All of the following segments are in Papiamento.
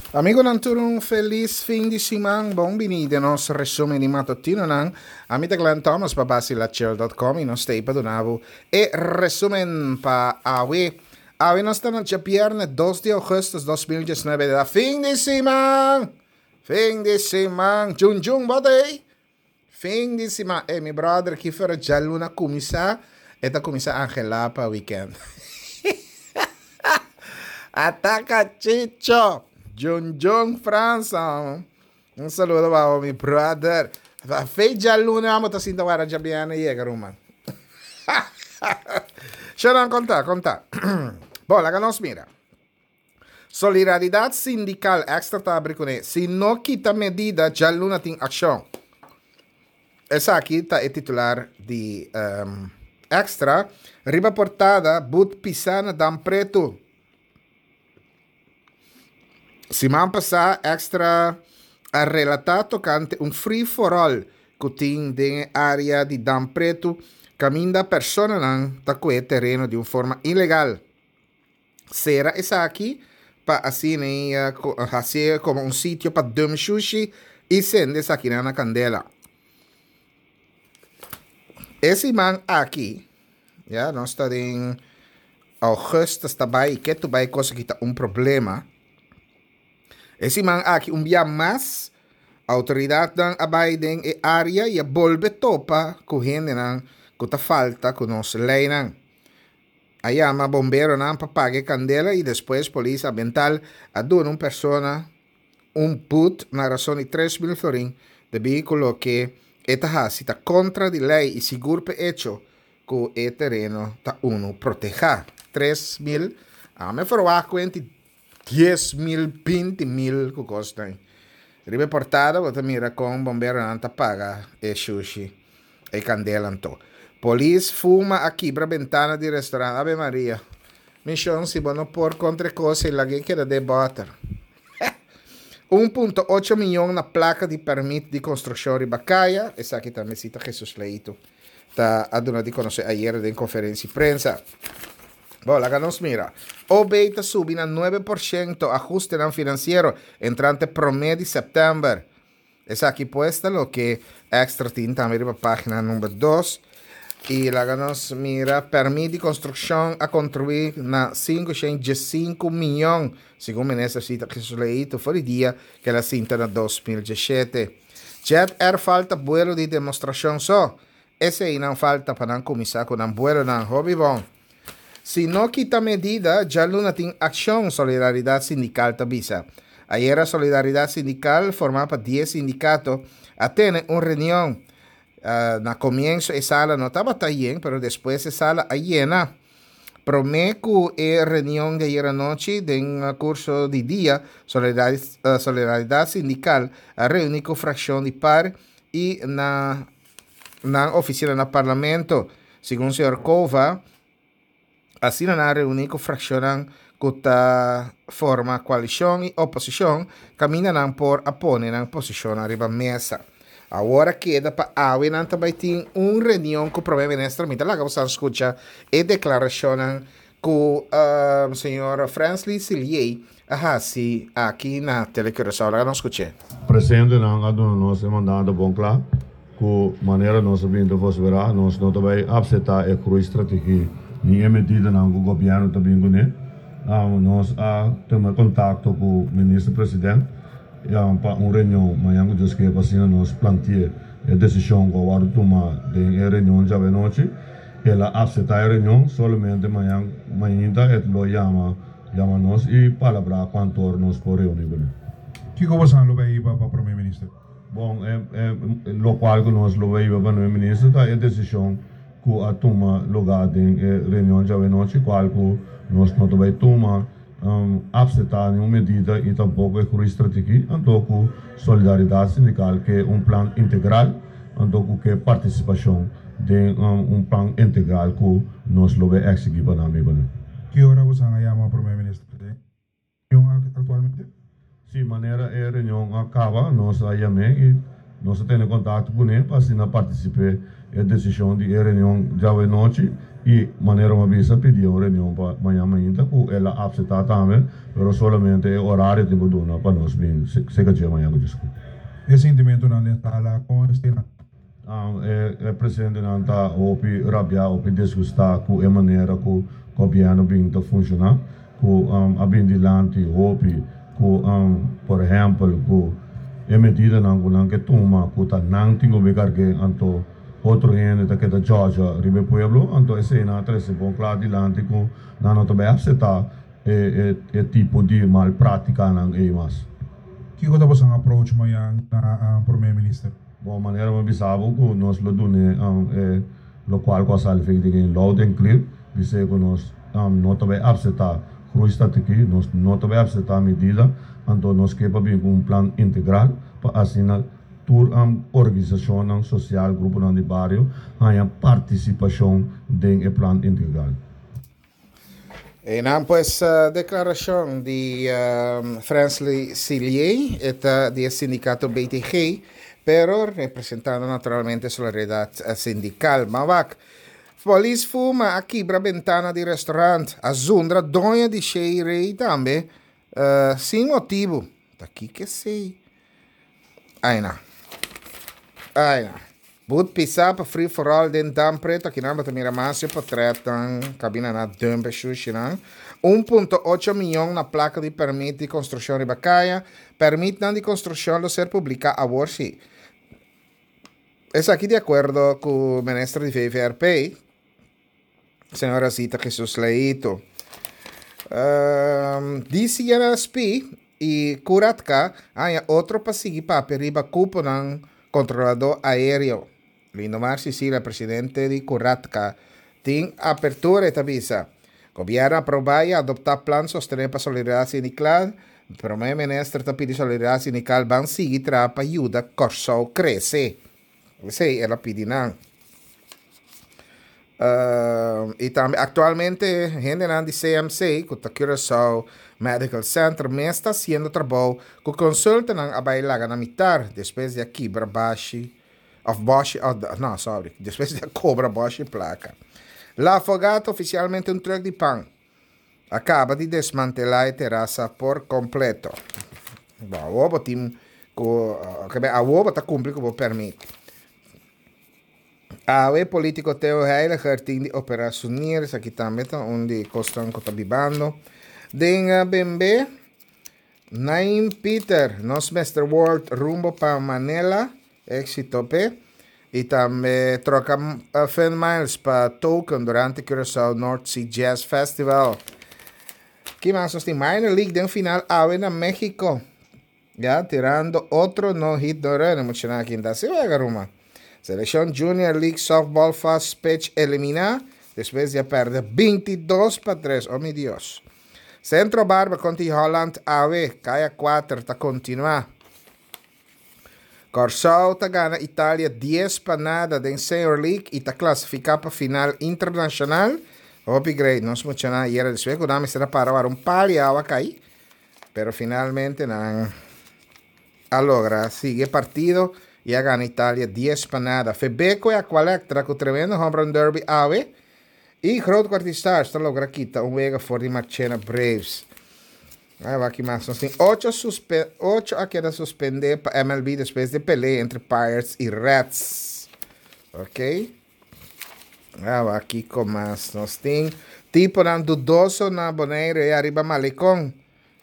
Amigonan tur un felis fin di siman. Bon bini den nos resumen di matutinonan. Ami ta Glenn Thomas pa basilachel.com y nos ta pa duna bo e resumen pa awe. Awe nos ta na djabierne 2 di augustus 2019 da fin di siman. Fin di siman. Jun jun bo ta ey? Fin di siman. Eh, mi brother, ki fera djaluna kuminsá, e ta kuminsá angelá pa weekend. Ataka Chicho! Jun Jun Fransa. Un saludo pa mi brother. Fe djaluna amo ta sinta wara djabièrnè yega ruman. Shonan konta, konta. Bon, laga nos mira. Solidaridad Sindical Extra ta abri kuné, Si no kita medida djaluna tin akshon. Esaki ta e titular di Extra. Riba portada, But pisá na Dam Pretu. Siman pasá Extra a relatá tokante un free for all ku tin den e área di Dam Pretu kaminda personanan ta kue tereno di un forma ilegal. Sera esaki pa asina e hasié komo un sitio pa dum shushi i sende esakinan na kandela. E siman aki, ya, nos ta den augustus ta bai i ketu bai kos aki ta un problema. E siman aki un bia mas outoridatnan a bai den e área i a bolbe topa ku hendenan ku ta falta ku nos leinan. A yama bomberonan pa paga e kandela i despues polis ambiental a duna un persona un but na rason di 3000 florin debí ku loke e ta hasi ta kontra di lei i sigur p'e echo ku e tereno ta unu protehá. 3000, ame ferwagt ku enti 10,000, 20,000 ku kosnan. Riba e portada bo ta mira kon bomberonan ta paga e shushi, e kandela anto. Polis fuma a kibra bentana di restaurant. Ave Maria. Mi shon si bo no por kontra e kos ei lag'e keda den bòter. 1.8 miyon na plaka di pèrmit di konstrukshon riba kaya. Esaki tambe si ta Jesus Leito ta a duna di konosé ayera den konferensia di prensa. Bo, laga nos mira. OB ta subi na 9% ahustenan finansiero entrante promé di sèptèmber. Esaki pues ta loke Extra tin tambe riba página number 2. I laga nos mira, pèrmit di konstrukshon a kontribuí na 515 mion, segun minister Sita Jesus-Leito for di dia ku el a sinta na 2017. Jet Air falta buelo di demostrashon so. Eseinan falta pa nan kuminsá ku nan buelonan. Hopi bon. Si no kita medida, djaluna tin akshon, Solidaridat Sindikal ta bisa. Ayera Solidaridat Sindikal, formá pa dies sindikato, a tene un reunion. Na komienso e sala no tabata yen, pero despues e sala a yena. Promé ku e reunion di ayera nochi, den kurso di dia, Solidaridat Sindikal a reuní ku frakshon di par i na nan oficina na Parlamento. Segun señor Cova, asina nan a reuni cu fraccionnan cu ta forma coalicion y oposicion caminda nan por a pone nan posicionnan riba mesa. Awor a keda pa awe nan ta bay tin un reunion cu Prome Minister. Mi ta laga boso scucha e declaracionnan cu señor Fransley Siliey a hasi aki na Tele Curaçao. Laga nos scuch'é. Presidentenan a duna nos e mandato bon kla ku manera nos a bin ta vosverá nos no ta bai apseptá e groeistrategie ni e medidanan ku gobièrnu ta bin kuné. Nos a tuma kontakto ku Minister President pa un reunion mañan ku Dios ke pa asina nos planti'é e desishon ku a wòrdu tuma den e reunion djawe anochi. El a apseptá e reunion, solamente mañan mainta e lo yama yama nos i palabrá kuantu nos por reuní kuné. Kiko bosan lo bai hiba pa Prome Minister? Bon, e lokual ku nos lo bai hiba pa Prome Minister ta e desishon ku a tuma lugá den e reunion djawe nochi, kual ku nos no ta bai tuma apseptá niun medida i tampoko e groeistrategie, anto ku Solidaridat Sindikal ke un plan integral, anto ku ke partisipashon den un plan integral ku nos lo bai eksigí pa nan amigonan. Ki ora bosan a yama Prome Minister den reunion aktualmente? Si, manera e reunion a kaba nos a yam'é i. Nos a tene kontakto kuné pa asina partisip'é e desishon di e reunion djawe nochi i manera mi a bisa pidi un reunion pa mañan mainta ku el a apseptá tambe, pero solamente e orario tin ku duna pa nos bin seka dje mañan ku diskutí. E sintimentunan den sala kon eseinan? E presidentenan ta hopi rabiá, hopi disgustá ku e manera ku gobièrnu bin ta funshoná, ku a bin dilanti hopi ku por ehèmpel ku e medidanan ku nan ke tuma ku ta nan tin ku bin karg'é anto otro hende ta keda djòdja riba e pueblo, anto eseinan a trese bon kla dilanti ku nan no ta bai aseptá e tipo di mal práktikanan ei mas. Kiko ta boso approach mañan na Prome Minister? Bon manera mi bisa bo ku nos lo dun'é e lokual ku a sali fek di gen loud en clear, bis'é ku nos no ta bai apseptá groeistrategie, nos no ta bai apseptá medida, anto nos ke pa bin ku un plan integral pa asina tur organisashonnan sosial, gruponan di bario haña partisipashon den e plan integral. Einan pues declaracion di Fransley Silié, e ta di e sindicato BTG, pero representando naturalmente Solidaridad Sindical. Mawak, polis fuma a kibra bentana di restaurant, a zundra doño di Shea Ray tambe, sin motibu. Ta kiko esey? Aina. Aina. But pisa pa free for all den Dam Preto. Akinan bo ta mira mas e potretnan kabina na dump e shushinan. 1.8 miyon na plaka di permit di konstrukshon riba kaya. Permitnan di konstrukshon lo ser publiká awor si. Esaki di akuerdo ku minister di VVRP. Señora Zita Jesus Leito. Um, DCNSP y Curatka haña otro pa sigui papia riba cuponan controlador aéreo. Lindomar Cecilia, presidente di Curatka, tin apertura e ta bisa. Gobierno aproba y adopta plan sostener pa solidaridad sindical. Prome Minister ta pidi solidaridad sindical ban sigui traha pa yuda Kòrsou crece. Esei el a pidi nan. Y tambe actualmente hendenan di CMC, cu ta Curaçao Medical Center, mes ta haciendo trabou cu consultanan a bay laga na mitar despues di a kibra bashi of boshi of no sorry despues di a cobra boshi placa. La Fogata oficialmente un truck di pan. A caba di desmantela e terasa por completo. Bo awo bo tin cu awo bo ta cumpli cu bo permit. Awe politico Theo Heyliger tin di opera su nier, esaki tambe ta un di cosnan cu ta bibando. Den Bembe, Naim Pieter, nos Mister World rumbo pa Manila. Éxito p'e. Y tambe troca Fun Miles pa token durante Curaçao North Sea Jazz Festival. Ki mas nos tin? Minor League den final awe na Mexico. Ya, tirando otro no hit no run. Muchanan aki ta haci wega ruma. Seleccion Junior League Softball Fast Pitch elimina despues di a perde 22-3. Oh mi Dios. Centro Barber contra Holland awe. Kaya 4 ta continua. Kòrsou ta gana Italia dies pa nada den Senior League i ta klasifiká pa final internashonal. Hopi great, nos muchanan ayera despues ku nan mester a para wara un pal i awa kai, pero finalmente nan a logra sigui e partido i a gana Italia dies pa nada. Febeko e Aqualectra ku tremendo home run derby awe i Groot Kwartier Stars ta logra kita un wega for di Marchena Braves. Ai wak ki mas nos tin. Ocho suspe ocho a keda suspende pa MLB despues di pelea entre Pirates y Reds. Ok. Ai wak kiko mas nos tin. Tiponan dudoso na Bonaire y ariba Malecon.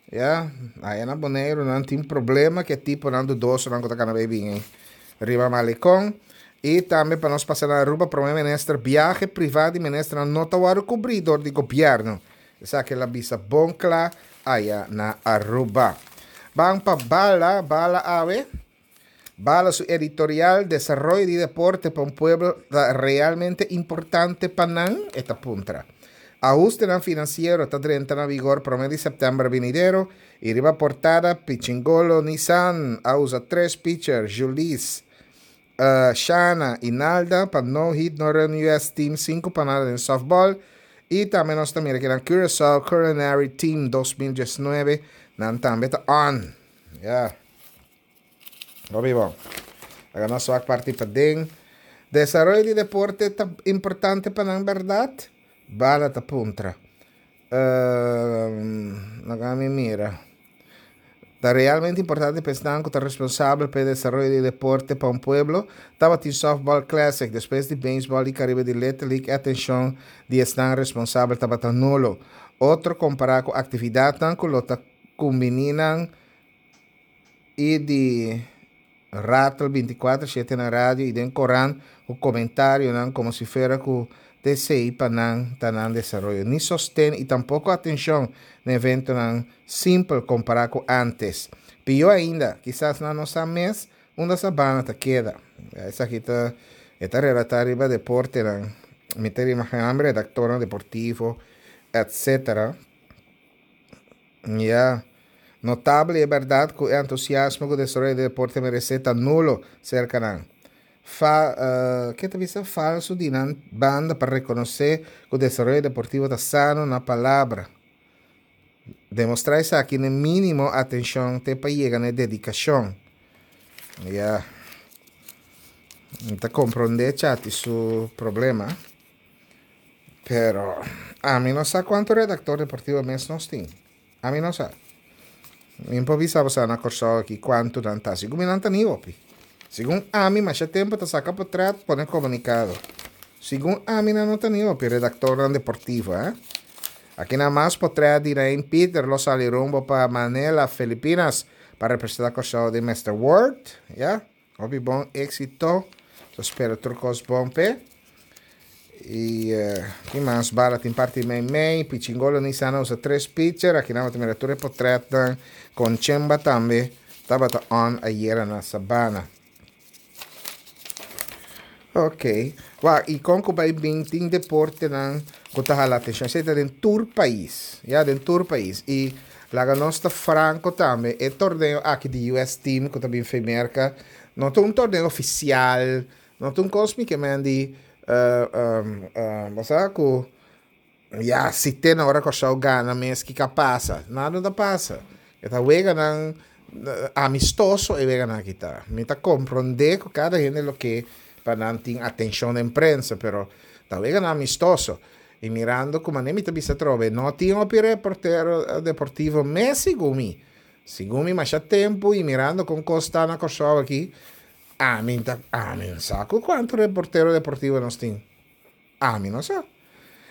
Ya, aya na Bonaire nan tin problema ke tiponan dudoso nan ku ta kana bay bin riba Malecon. Y tambe pa nos pasa na Aruba, Prome Minister, viahe priva di ministernan no ta wòrdu kubrí dor di gobièrnu. Esaki el a bisa bon kla aya na Aruba. Ban pa Bala, Bala awe. Bala su editorial Desaroyo di deporte pa un pueblo ta realmente importante pa nan? E ta puntra. Ahustenan finansiero ta drenta na vigor prome di sèptèmber binidero i riba portada Pichingolo Nissan a usa tres pitcher, Julis, Shana y Nalda pa no hit no run US team 5 pa nada den softball y tambe nos ta mira kinan Curaçao Culinary Team 2019 nan tambe ta on. Ya. Hopi bon. Laga nos wak parti paden. Desaroyo di deporte ta importante pa nan bèrdat? Bala ta puntra. Laga mi mira. Ta realmente importante pa esnan ku ta responsabel pa e desaroyo di deporte pa un pueblo? Tabatin Softball Classic, despues di Baseball di Caribe di Little League e atencion di esnan responsabel tabata nulo. Otro compara cu actividadnan cu lo ta cumbini nan y di Ratel binticuater shete na radio y den corant cu comentarionan como si fuera cu t'esey pa nan ta nan desaroyo. Ni sosten y tampoco atencion na eventonan simpel compara cu antes. Pio ainda, kisas nan no sa mes unda Sabana ta keda. Esaki ta e ta relata riba deportenan. Mi ta imagina mi redactornan deportivo etc. Ya. Notable e bèrdat ku e entusiasmo ku desaroyo di deporte meresé ta nulo serka nan. Fa, ke ta bisa? Falsu di nan banda pa rekonosé ku desaroyo deportivo ta sano na palabra. Demostrá esaki n'e mínimo atenshon te pa yega n'e dedikashon. Ya. Mi ta komprondé Chati su problema. Pero ami no sa cuanto redactor deportivo mes nos tin. Ami no sa. Mi por bisa bo sa na Kòrsou aki cuanto nan ta. Segun mi nan ta ni hopi. Segun ami masha tempo ta saca potret pone comunicado. Segun ami nan no ta ni hopi redactornan deportivo eh. Aki nan mas potret di Rain Pieter lo sali rumbo pa Manila, Filipinas pa representa Kòrsou den Mister World. Ya. Hopi bon éxito. Ta spera tur kos bon p'e. I ki mas bala tin parti mei mei. Pichingolo Nissan a usa tres pitcher. Aki nan bo ta mira tur e potretnan. Conchemba tambe tabata on ayera na Sabana. Ok. Wak, i kon ku bai bin tin deportenan ku ta hala atenshon. Esei ta den tur pais. Ya, den tur pais. I laga nos ta franko tambe, e torneo aki di US Team ku ta bin fe Merka, no ta un torneo ofisial, no ta un kos mi ke men di, bo sa ku Ya, si te na ora Kòrsou gana mes kiko a pasa? Nada no ta pasa. E ta weganan amistoso e weganan aki ta. Mi ta komprondé ku kada hende lo ke pa nan tin atenshon den prensa, pero ta weganan amistoso. I mirando ku manera mi ta bisa atrobe, no tin hopi reportero deportivo mes segun mi. Segun mi masha tempu i mirando kon kos ta na Kòrsou aki, ami ta, ami no sa ku kuantu reportero deportivo nos tin. Ami no sa.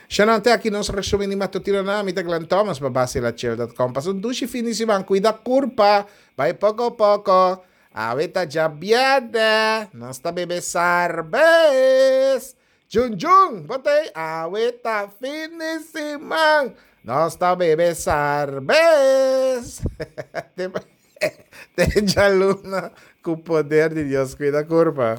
Shanan te aki nos resumen di matutino na mi ta Glenn Thomas pa basilachel dot com. Pasa un dushi fin di siman. Cuida curpa. Bai poco poco. Awe ta djabièrnè. Nos ta bebe sarbes. Jun jun. Bo ta ei? Awe ta fin di siman. Nos ta bebe sarbes. Te djaluna cu poder di Dios. Cuida curpa.